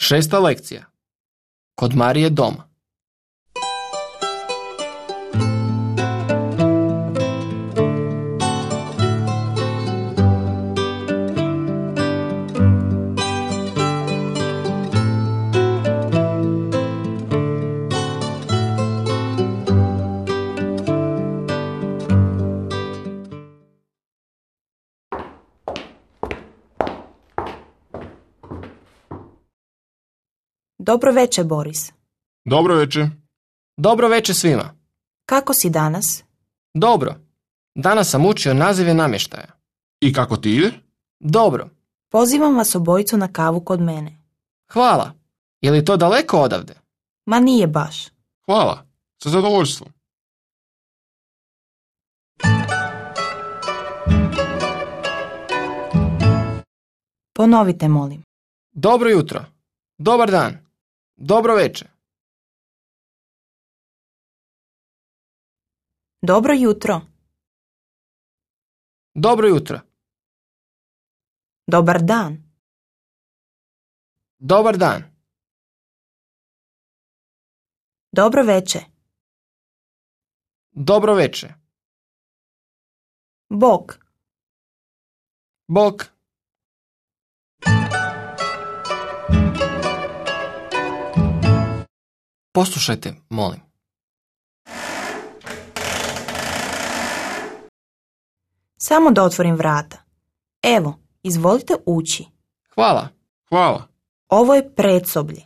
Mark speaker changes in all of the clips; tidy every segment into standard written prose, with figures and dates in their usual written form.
Speaker 1: Šesta lekcija. Kod Marije doma.
Speaker 2: Dobro večer, Boris.
Speaker 3: Dobro večer.
Speaker 1: Dobro večer svima.
Speaker 2: Kako si danas?
Speaker 1: Dobro. Danas sam učio nazive namještaja.
Speaker 3: I kako ti ide?
Speaker 1: Dobro.
Speaker 2: Pozivam vas obojicu na kavu kod mene.
Speaker 1: Hvala. Je li to daleko odavde?
Speaker 2: Ma nije baš.
Speaker 3: Hvala. Sa zadovoljstvom.
Speaker 2: Ponovite, molim.
Speaker 1: Dobro jutro. Dobar dan. Dobro večer.
Speaker 2: Dobro jutro.
Speaker 1: Dobro jutro.
Speaker 2: Dobar dan.
Speaker 1: Dobar dan.
Speaker 2: Dobro večer.
Speaker 1: Dobro večer.
Speaker 2: Bok.
Speaker 1: Bok. Poslušajte, molim.
Speaker 2: Samo da otvorim vrata. Evo, izvolite ući.
Speaker 1: Hvala.
Speaker 3: Hvala.
Speaker 2: Ovo je predsoblje.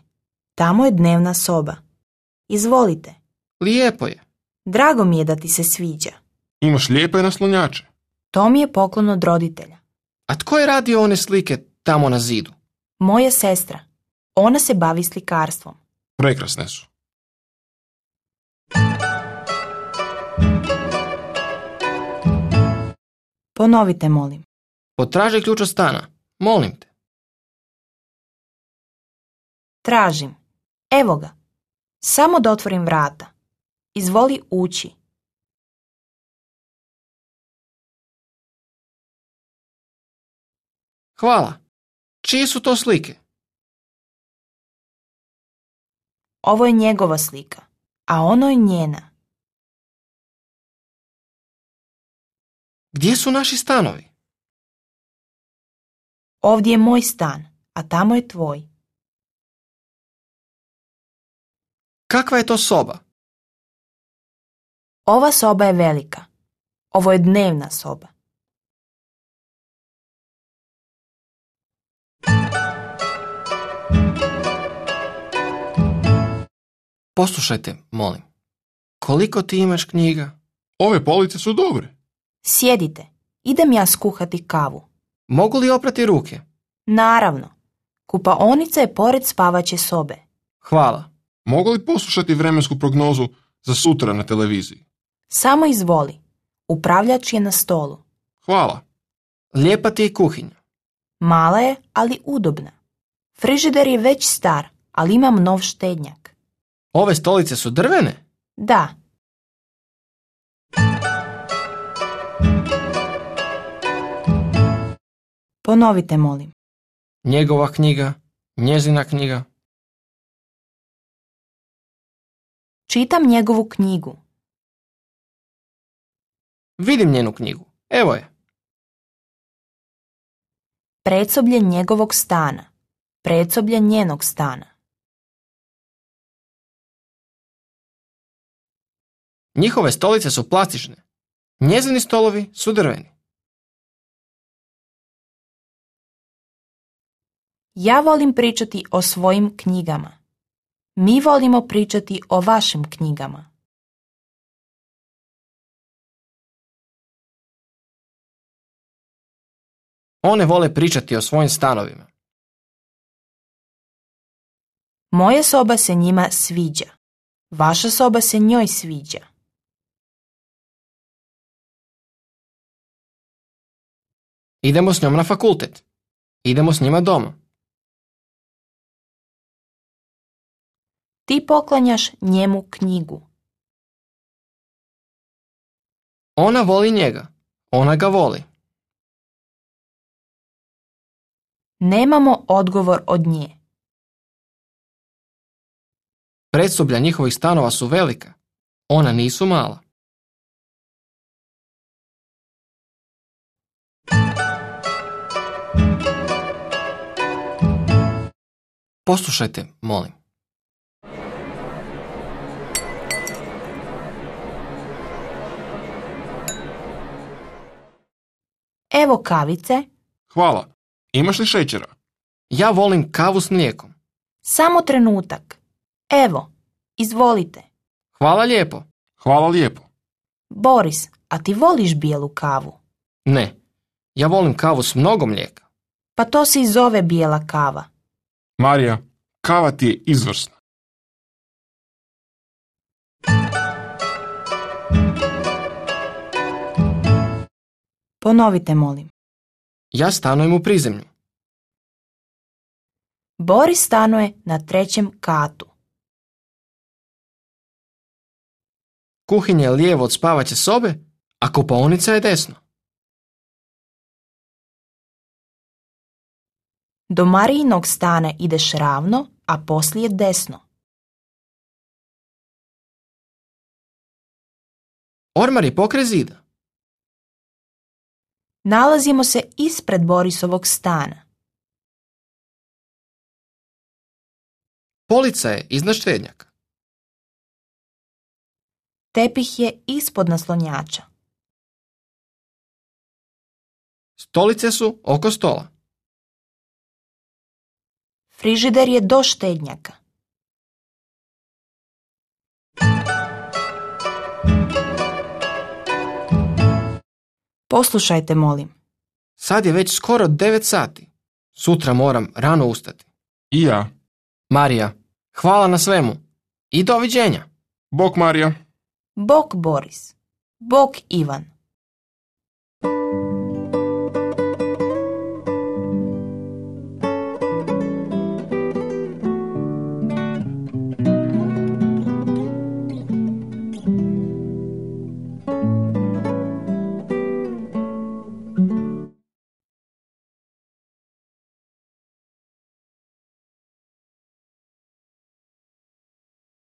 Speaker 2: Tamo je dnevna soba. Izvolite.
Speaker 1: Lijepo je.
Speaker 2: Drago mi je da ti se sviđa.
Speaker 3: Imaš lijepe naslonjače.
Speaker 2: To mi je poklon od roditelja.
Speaker 1: A tko je radio one slike tamo na zidu?
Speaker 2: Moja sestra. Ona se bavi slikarstvom.
Speaker 3: Prekrasne su.
Speaker 2: Ponovite, molim.
Speaker 1: Potraži ključ od stana. Molim te.
Speaker 2: Tražim. Evo ga. Samo da otvorim vrata. Izvoli ući.
Speaker 1: Hvala. Čije su to slike?
Speaker 2: Ovo je njegova slika, a ono je njena.
Speaker 1: Gdje su naši stanovi?
Speaker 2: Ovdje je moj stan, a tamo je tvoj.
Speaker 1: Kakva je to soba?
Speaker 2: Ova soba je velika. Ovo je dnevna soba.
Speaker 1: Poslušajte, molim. Koliko ti imaš knjiga?
Speaker 3: Ove police su dobre.
Speaker 2: Sjedite. Idem ja skuhati kavu.
Speaker 1: Mogu li oprati ruke?
Speaker 2: Naravno. Kupaonica je pored spavaće sobe.
Speaker 1: Hvala.
Speaker 3: Mogu li poslušati vremensku prognozu za sutra na televiziji?
Speaker 2: Samo izvoli. Upravljač je na stolu.
Speaker 3: Hvala.
Speaker 1: Lijepa ti je kuhinja.
Speaker 2: Mala je, ali udobna. Frižider je već star, ali imam nov štednjak.
Speaker 1: Ove stolice su drvene?
Speaker 2: Da. Ponovite, molim.
Speaker 1: Njegova knjiga, njezina knjiga.
Speaker 2: Čitam njegovu knjigu.
Speaker 1: Vidim njenu knjigu. Evo je.
Speaker 2: Predsoblje njegovog stana. Predsoblje njenog stana.
Speaker 1: Njihove stolice su plastične. Njezini stolovi su drveni.
Speaker 2: Ja volim pričati o svojim knjigama. Mi volimo pričati o vašim knjigama.
Speaker 1: One vole pričati o svojim stanovima.
Speaker 2: Moja soba se njima sviđa. Vaša soba se njoj sviđa.
Speaker 1: Idemo s njom na fakultet. Idemo s njima doma.
Speaker 2: Ti poklanjaš njemu knjigu.
Speaker 1: Ona voli njega. Ona ga voli.
Speaker 2: Nemamo odgovor od nje.
Speaker 1: Predsoblja njihovih stanova su velika. Ona nisu mala. Poslušajte, molim.
Speaker 2: Evo kavice,
Speaker 3: Hvala. Imaš li šećera?
Speaker 1: Ja volim kavu s mlijekom.
Speaker 2: samo trenutak. Evo, izvolite.
Speaker 1: Hvala lijepo.
Speaker 3: Hvala lijepo.
Speaker 2: Boris, a ti voliš bijelu kavu?
Speaker 1: Ne, ja volim kavu s mnogo mlijeka.
Speaker 2: Pa to se i zove bijela kava.
Speaker 3: Marija, kava ti je izvrsna.
Speaker 2: Ponovite, molim.
Speaker 1: Ja stanujem u prizemlju.
Speaker 2: Boris stanuje na 3. katu.
Speaker 1: Kuhinja je lijevo od spavaće sobe, a kupaonica je desno.
Speaker 2: Do Marijinog stana ideš ravno, a poslije desno.
Speaker 1: Ormar je pokraj zida.
Speaker 2: Nalazimo se ispred Borisovog stana.
Speaker 1: Polica je iznad štednjaka.
Speaker 2: Tepih je ispod naslonjača.
Speaker 1: Stolice su oko stola.
Speaker 2: Frižider je do štednjaka. Poslušajte, molim.
Speaker 1: Sad je već skoro 9 sati. Sutra moram rano ustati.
Speaker 3: I ja.
Speaker 1: Marija, hvala na svemu. I doviđenja.
Speaker 3: Bok Marija.
Speaker 2: Bok Boris. Bok Ivan.